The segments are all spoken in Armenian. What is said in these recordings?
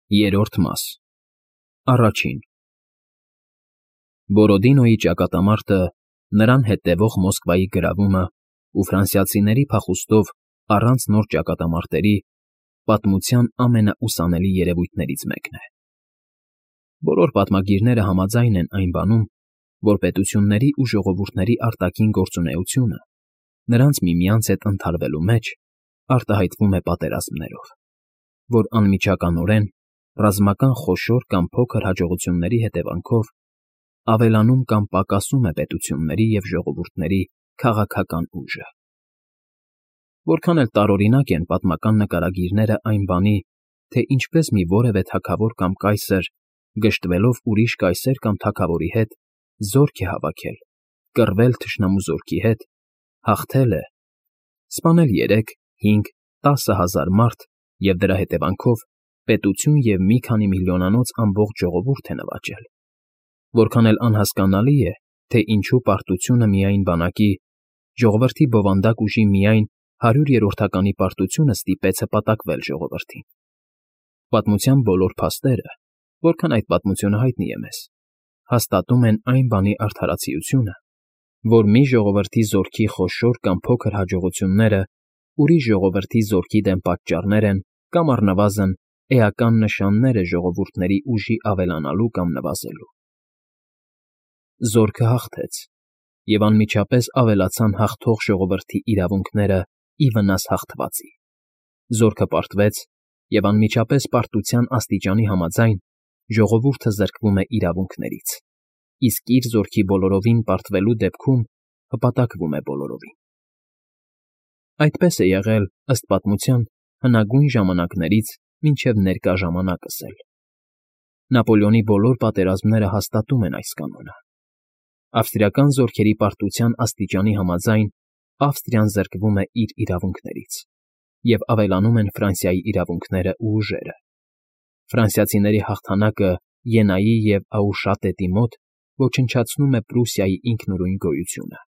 Երրորդ մաս Առաջին Բորոդինոյի ճակատամարտը, նրան հետևող Մոսկվայի գրավումը ու ֆրանսիացիների փախուստով առանց նոր ճակատամարտերի պատմության ամենաուսանելի երևույթներից մեկն է։ Բոլոր պատմագիրները համաձայն են այն բանում, որ պետությունների ու ժողովուրդների արտաքին գործունեությունը նրանց միմյանց հետ ընդհարվելու մեջ արտահայտվում է պատերազմներով, որ անմիջականորեն ռազմական խոշոր կամ փոքր հաջողությունների հետևանքով ավելանում կամ պակասում է պետությունների և ժողովուրդների քաղաքական ուժը։ Որքան էլ տարօրինակ են պատմական նկարագիրները այն բանի, թե ինչպես մի որևէ թագավոր կամ կայսր, գժտվելով ուրիշ կայսեր կամ թագավորի հետ, զորք է հավաքել, կռվել թշնամու զորքի հետ, հաղթել է, սպանել 3, 5, 10 հազար մարդ և դրա հետևանքով պետություն և մի քանի միլիոնանոց ամբողջ ժողովուրդ է նվաճել, որքան էլ անհասկանալի է, թե ինչու պարտությունը միայն բանակի, ժողովրդի բովանդակ ուժի միայն 100-րդականի պարտությունը ստիպեց հպատակվել ժողովրդին։ Պատմության բոլոր փաստերը, որքան այդ պատմությունը հայտնի է մեզ, հաստատում են այն բանի արդարացիությունը, որ մի ժողովրդի զորքի խոշոր կամ փոքր հաջողությունները ուրիշ ժողովրդի զորքի դեմ պատճառներ են կամ առնվազն էական նշաններ է ժողովուրդների ուժի ավելանալու կամ նվազելու։ Զորքը հաղթեց, և անմիջապես ավելացան հաղթող ժողովրդի իրավունքները ի վնաս հաղթվածի։ Զորքը պարտվեց, և անմիջապես պարտության աստիճանի համաձայն ժողովուրդը զրկվում է իրավունքներից, իսկ իր զորքի բոլորովին պարտվելու դեպքում հպատակվում է բոլորովին։ Այդպես է եղել, ըստ պատմության, հնագույն ժամանակներից մինչև ներկա ժամանակս էլ։ Նապոլեոնի բոլոր պատերազմները հաստատում են այս կանոնը։ Ավստրիական զորքերի պարտության աստիճանի համաձայն Ավստրիան զրկվում է իր իրավունքներից, և ավելանում են Ֆրանսիայի իրավունքները ու ուժերը։ Ֆրանսիացիների հաղթանակը Ենայի և Աուշատետի մոտ ոչնչացնում է Պրուսիայի ինքնուրույն գոյությունը։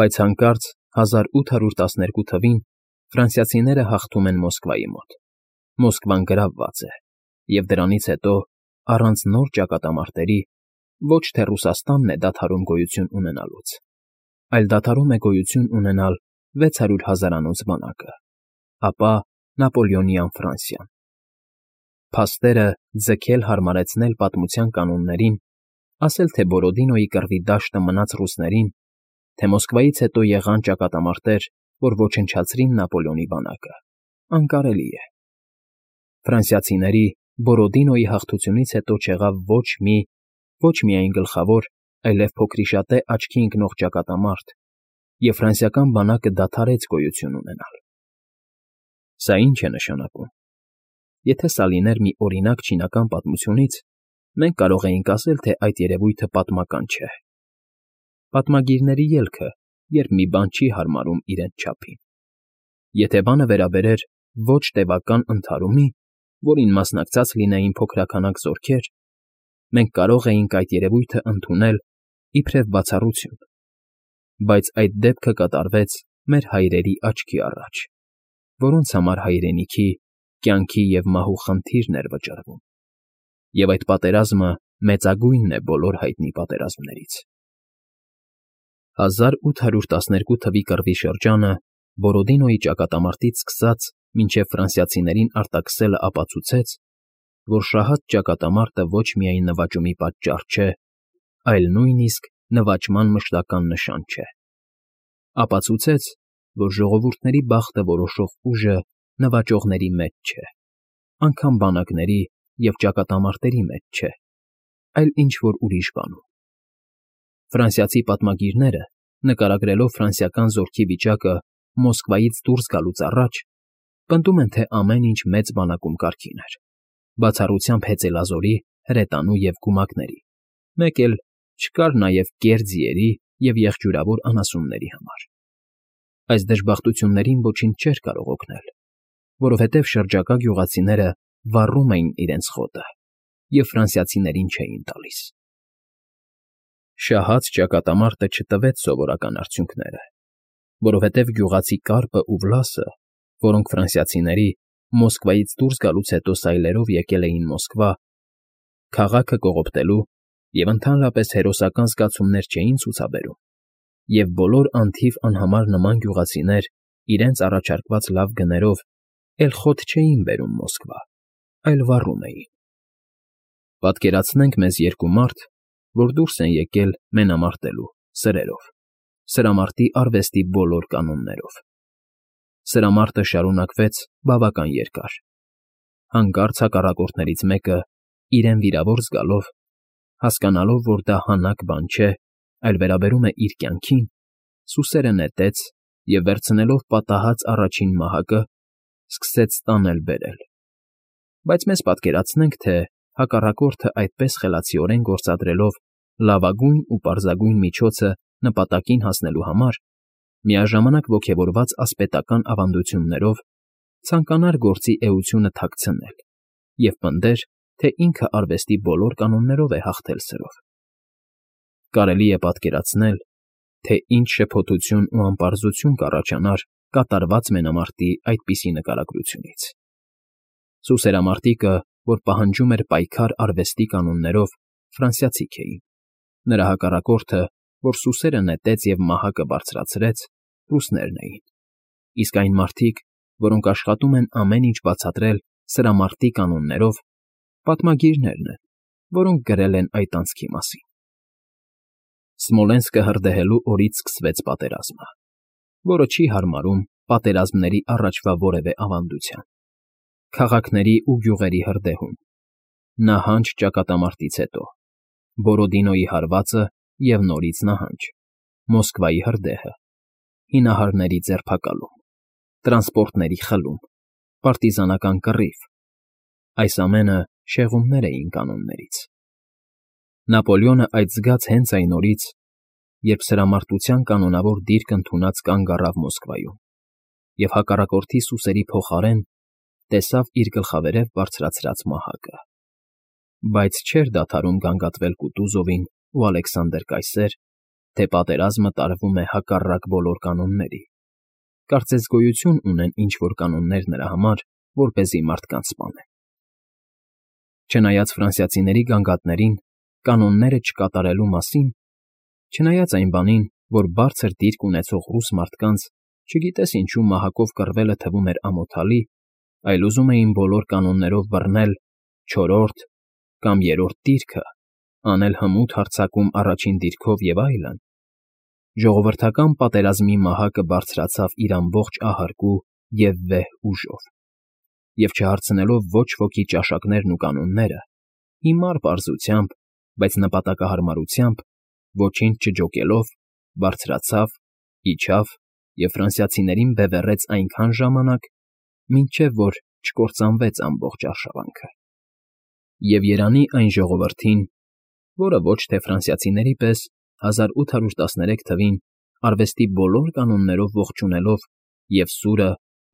Բայց հանկարծ 1812 թվին ֆրանսիացիները հաղթում են Մոսկվայի մոտ։ Մոսկվան գրավված է, և դրանից հետո, առանց նոր ճակատամարտերի, ոչ թե Ռուսաստանն է դադարում գոյություն ունենալուց, այլ դադարում է գոյություն ունենալ 600 հազարանոց բանակը, ապա Նապոլեոնյան Ֆրանսիան։ Փաստերը ձգել հարմարեցնել պատմության կանոններին, ասել թե Բորոդինոյի կռվի դաշտը մնաց ռուսներին, թե Մոսկվայից հետո եղան ճակատամարտեր, որ ոչնչացրին Նապոլեոնի բանակը, անկարելի է։ Ֆրանսիացիների Բորոդինոյի հաղթությունից հետո չեղավ ոչ միայն գլխավոր, այլև փոքրիշատե աչքի ընկնող ճակատամարտ, և ֆրանսիական բանակը դադարեց գոյություն ունենալ։ Սա ի՞նչ է նշանակում։ Եթե սա լիներ մի օրինակ չինական պատմությունից, մենք կարող էինք ասել, թե այդ երևույթը պատմական չէ։ Պատմագիրների ելքը, երբ մի բան չի հարմարում իրենց չափին։ Եթե բանը վերաբերեր ոչ տևական ընդհարումի, որին մասնակցած լինեին փոքրաքանակ զորքեր, մենք կարող էինք այդ երևույթը ընդունել իբրև բացառություն, բայց այդ դեպքը կատարվեց մեր հայրերի աչքի առաջ, որոնց համար հայրենիքի, կյանքի և մահու խնդիրն էր վճռվում, և այդ պատերազմը մեծագույնն է բոլոր հայտնի պատերազմներից։ 1812 թվի կռվի շրջանը Բորոդինոյի ճակատամարտից սկսած մինչև ֆրանսիացիներին արտաքսելը ապացուցեց, որ շահած ճակատամարտը ոչ միայն նվաճումի պատճառ չէ, այլ նույնիսկ նվաճման մշտական նշան չէ։ Ապացուցեց, որ ժողովուրդների բախտը որոշող ուժը նվաճողների մեջ չէ, անգամ բանակների և ճակատամարտերի մեջ չէ, այլ ինչ-որ ուրիշ բանում։ Ֆրանսիացի պատմագիրները, նկարագրելով ֆրանսիական զորքի վիճակը Մոսկվայից դուրս գալուց առաջ, պնդում են, թե ամեն ինչ մեծ բանակում կարգին էր, բացառությամբ հեծելազորի, հրետանու և գումակների, մեկ էլ չկար նաև կեռ ձիերի և եղջյուրավոր անասունների համար։ Այս դժբախտություններին ոչինչ չէր կարող օգնել, որովհետև շրջակա գյուղացիները վառում էին իրենց խոտը և ֆրանսիացիներին չէին տալիս։ Շահած ճակատամարտը չտվեց սովորական արդյունքները, որովհետև գյուղացի կառպն ու Վլասը, որոնք ֆրանսիացիների, Մոսկվայից դուրս գալուց հետո սայլերով եկել էին Մոսկվա, քաղաքը կողոպտելու և ընդհանրապես հերոսական զգացումներ չէին ցուցաբերում, և բոլոր անթիվ անհամար նման գյուղացիներ իրենց առաջարկված լավ գներով էլ խոտ չէին բերում Մոսկվա, այլ վառում էին։ Պատկերացնենք մեզ երկու մարդ, որ դուրս են եկել մենամարտելու սրերով, սրամարտի արվեստի բոլոր կանոններով։ Սրամարտը շարունակվեց բավական երկար։ Հանկարծ հակառակորդներից մեկը, իրեն վիրավոր զգալով, հասկանալով, որ դա հանաք բան չէ, այլ վերաբերում է իր կյանքին, սուսերը նետեց և, վերցնելով պատահած առաջին մահակը, սկսեց տանել֊բերել։ Բայց մեզ պատկերացնենք, թե հակառակորդը այդպես խելացիորեն գործադրելով լավագույն ու պարզագույն միջոցը նպատակին հասնելու համար, միաժամանակ ոգևորված ասպետական ավանդություններով, ցանկանար գործի էությունը թաքցնել և պնդեր, թե ինքը արվեստի բոլոր կանոններով է հաղթել սրով։ Կարելի է պատկերացնել, թե ինչ շփոթություն ու անպարզություն կառաջանար կատարված մենամարտի այդպիսի նկարագրությունից։ Սուսերամարտիկը, որ պահանջում էր պայքար արվեստի կանոններով, ֆրանսիացիք էին, նրա հակառակորդը, որ սուսերը նետեց և մահակը բարձրացրեց, ռուսներն էին, իսկ այն մարդիկ, որոնք աշխատում են ամեն ինչ բացատրել սրամարտի կանոններով, պատմագիրներն են, որոնք գրել են այդ անցքի մասին։ Սմոլենսկը հրդեհելու օրից սկսվեց պատերազմը, որը չի հարմարում պատերազմների առաջվա որևէ ավանդության։ Քաղաքների ու գյուղերի հրդեհում, նահանջ ճակատամարտից հետո, Բորոդինոյի հարվածը և նորից նահանջ, Մոսկվայի հրդեհը, հինահարների ձերբակալում, տրանսպորտների խլում, պարտիզանական կռիվ։ Այս ամենը շեղումներ էին կանոններից։ Նապոլեոնը այդ զգաց հենց այն օրից, երբ սրամարտության կանոնավոր դիրք ընդունած կանգ առավ Մոսկվայում և հակառակորդի սուսերի փոխարեն տեսավ իր գլխավերև բարձրացրած մահակը։ Բայց չէր դադարում գանգատվել Կուտուզովին ու Ալեքսանդր Կայսեր, թե պատերազմը տարվում է հակառակ բոլոր կանոնների, կարծես գոյություն ունեն ինչ֊որ կանոններ նրա համար, որպեսզի մարդկանց սպանեն։ Չնայած ֆրանսիացիների գանգատներին կանոնները չկատարելու մասին, չնայած այն բանին, որ բարձր դիրք ունեցող ռուս մարդկանց, չգիտես ինչու մահակով կռվելը թվում էր ամոթալի, այլ ուզում էին բոլոր կանոններով բռնել չորրորդ կամ երրորդ դիրքը, անել հմուտ հարձակում առաջին դիրքով և այլն, ժողովրդական պատերազմի մահակը բարձրացավ իր ամբողջ ահարկու և վեհ ուժով, և չհարցնելով ոչ ոքի ճաշակներն ու կանոնները, հիմար պարզությամբ, բայց նպատակահարմարությամբ, ոչինչ չջոկելով, բարձրացավ, իջավ և ֆրանսիացիներին բևեռեց այնքան ժամանակ, մինչև որ չկործանվեց ամբողջ արշավանքը։ Եվ երանի այն ժողովրդին, որը ոչ թե ֆրանսիացիների պես 1813 թվին արվեստի բոլոր կանոններով ողջունելով և սուրը,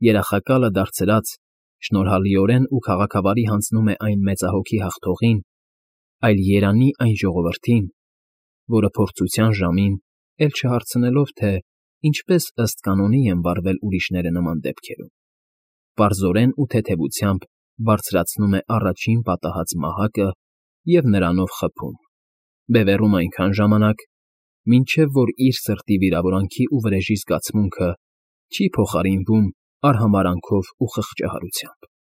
երախակալը դարձրած, շնորհալիորեն ու քաղաքավարի հանձնում է այն մեծահոգի հաղթողին, այլ երանի այն ժողովրդին, որը փորձության ժամին, էլ չհարցնելով, թե ինչպես ըստ կանոնի են վարվել ուրիշները նման դեպքերում, պարզորեն ու թեթևությամբ բարձրացնում է առաջին պատահած մահակը և նրանով խփում, բևեռում այնքան ժամանակ, մինչև որ իր սրտի վիրավորանքի ու վրեժի զգացմունքը չի փոխարինվում արհամարհանքով ու խղճահարությամբ։